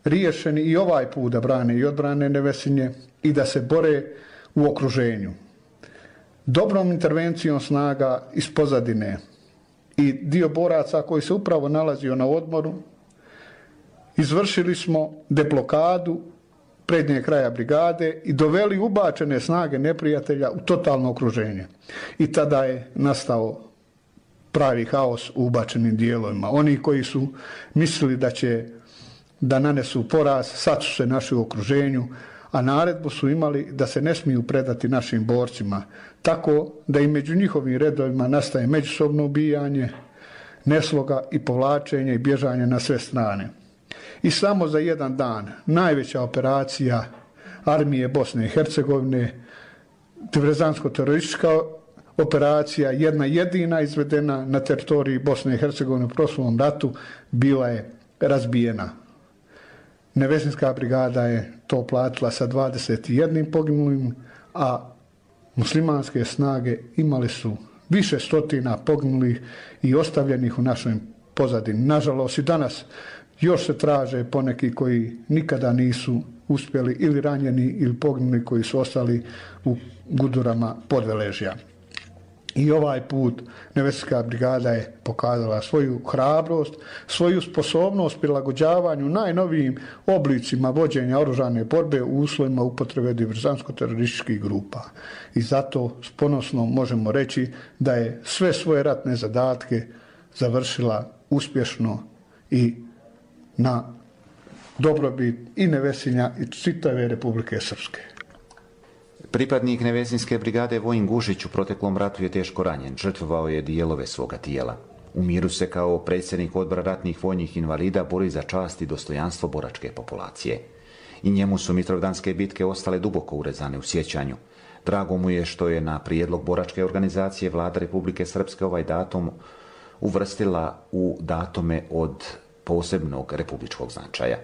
riješeni i ovaj put da brane i odbrane Nevesinje i da se bore u okruženju. Dobrom intervencijom snaga iz pozadine i dio boraca koji se upravo nalazio na odmoru, izvršili smo deblokadu prednjeg kraja brigade i doveli ubačene snage neprijatelja u totalno okruženje. I tada je nastao pravi haos u ubačenim dijelovima. Oni koji su mislili da će da nanesu poraz, sad su se našli u okruženju, a naredbu su imali da se ne smiju predati našim borcima, tako da i među njihovim redovima nastaje međusobno ubijanje, nesloga i povlačenje i bježanje na sve strane. I samo za jedan dan najveća operacija armije Bosne i Hercegovine, diverzantsko-teroristička operacija, jedna jedina izvedena na teritoriji Bosne i Hercegovine u prošlom ratu, bila je razbijena. Nevesinska brigada je to platila sa dvadeset jedan poginulim, a muslimanske snage imali su više stotina poginulih i ostavljenih u našoj pozadini. Nažalost i danas još se traže poneki koji nikada nisu uspjeli ili ranjeni ili poginuli koji su ostali u gudurama Podveležja. I ovaj put Nevesinska brigada je pokazala svoju hrabrost, svoju sposobnost prilagođavanju najnovijim oblicima vođenja oružane borbe u uslovima upotrebe diverzantsko-terorističkih grupa. I zato s ponosnom možemo reći da je sve svoje ratne zadatke završila uspješno i na dobrobit i Nevesinja i čitave Republike Srpske. Pripadnik Nevesinske brigade Vojin Gušić u proteklom ratu je teško ranjen, žrtvovao je dijelove svoga tijela. U miru se kao predsjednik odbora ratnih vojnih invalida bori za čast i dostojanstvo boračke populacije. I njemu su mitrovdanske bitke ostale duboko urezane u sjećanju. Drago mu je što je na prijedlog boračke organizacije Vlada Republike Srpske ovaj datum uvrstila u datume od posebnog republičkog značaja.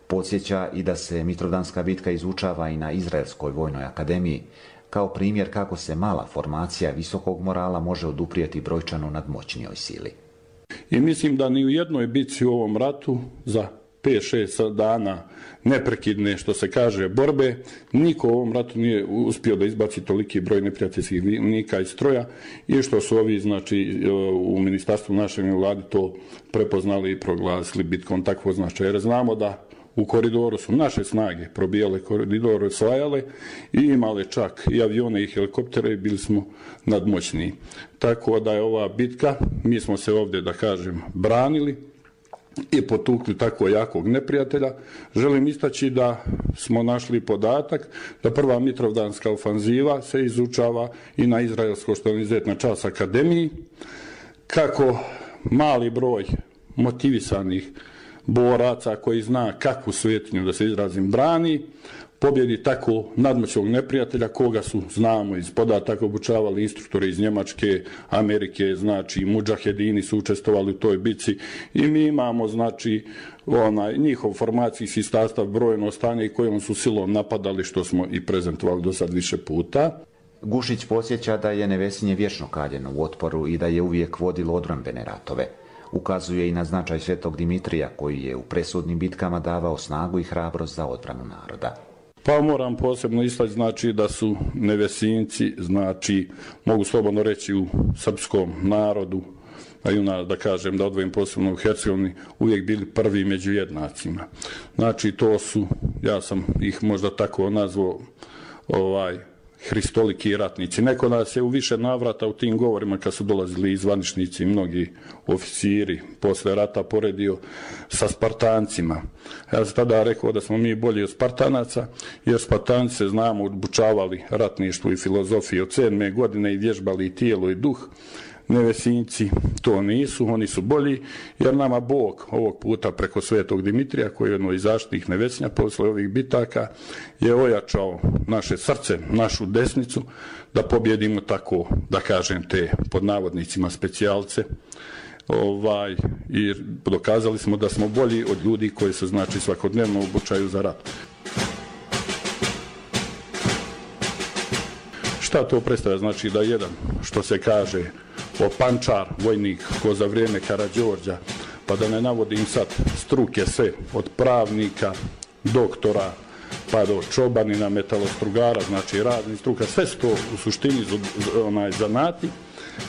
Podsjeća i da se Mitrovdanska bitka izučava i na Izraelskoj vojnoj akademiji kao primjer kako se mala formacija visokog morala može oduprijeti brojčano nadmoćnijoj sili. I mislim da ni u jednoj bitci u ovom ratu za pet šest dana neprekidne, što se kaže, borbe, niko u ovom ratu nije uspio da izbaci toliki broj neprijateljskih vojnika iz stroja i što su ovi, znači, u ministarstvu našeg vladi to prepoznali i proglasili bitkom takvog značaja. Jer znamo da u koridoru su naše snage probijale koridor, osvajale i imale čak i avione i helikoptere i bili smo nadmoćniji. Tako da je ova bitka, mi smo se ovdje, da kažem, branili i potukli tako jakog neprijatelja. Želim istaći da smo našli podatak da prva Mitrovdanska ofanziva se izučava i na Izraelsko, što je izuzetna čast akademiji, kako mali broj motivisanih boraca koji zna kakvu svetinju, da se izrazim, brani, pobjedi tako nadmoćnog neprijatelja koga su, znamo, iz podataka obučavali instruktori iz Njemačke, Amerike, znači mudžahedini su učestvovali u toj bici i mi imamo, znači, onaj njihov formacijski sastav, brojno stanje i kojom su silom napadali, što smo i prezentovali do sad više puta. Gušić podsjeća da je Nevesinje vječno kaljeno u otporu i da je uvijek vodilo odbrambene ratove. Ukazuje i na značaj Svetog Dimitrija koji je u presudnim bitkama davao snagu i hrabrost za odbranu naroda. Pa moram posebno istaći znači da su Nevesinci, znači mogu slobodno reći u srpskom narodu, a i ona, da kažem, da odvojim posebno u Hercegovini, uvijek bili prvi među jednacima. Znači to su, ja sam ih možda tako nazvao, ovaj, hristoliki ratnici. Neko nas je u više navrata u tim govorima kad su dolazili i zvaničnici, mnogi oficiri posle rata poredio sa Spartancima. Ja sam tada rekao da smo mi bolji od Spartanaca, jer Spartanci se znamo obučavali ratništvu i filozofiji od sedme godine i vježbali i tijelo i duh. Nevesinci to nisu, oni su bolji, jer nama Bog ovog puta preko Svetog Dimitrija, koji je jedno iz zaštitnih Nevesinja posle ovih bitaka, je ojačao naše srce, našu desnicu, da pobjedimo tako, da kažem, te pod navodnicima specijalce. Ovaj, i dokazali smo da smo bolji od ljudi koji se znači svakodnevno obučaju za rat. Šta to predstavlja? Znači da jedan, što se kaže, opančar, vojnik, ko za vrijeme Karađorđa, pa da ne navodim sad struke sve, od pravnika, doktora, pa do čobanina, metalostrugara, znači raznih struka, sve su to u suštini onaj zanati,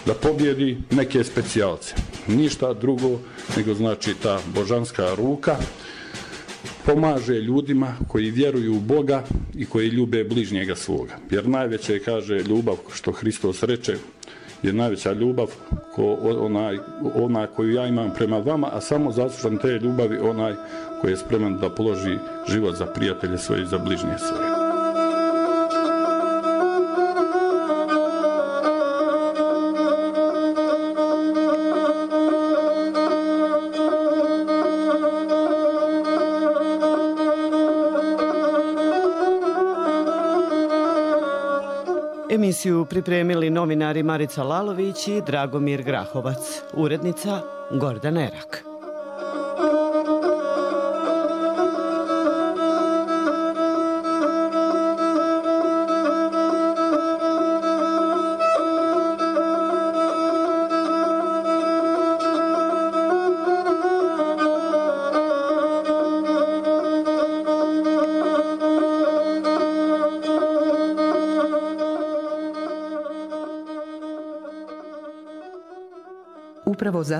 da pobjedi neke specijalce. Ništa drugo nego znači ta božanska ruka pomaže ljudima koji vjeruju u Boga i koji ljube bližnjega svoga. Jer najveće, kaže, ljubav, što Hristos reče, je najveća ljubav ko, onaj, ona koju ja imam prema vama, a samo zaslužan te ljubavi onaj koji je spreman da položi život za prijatelje svoje i za bližnje svoje. Emisiju pripremili novinari Marica Lalović i Dragomir Grahovac, urednica Gordana Erak. Upravo za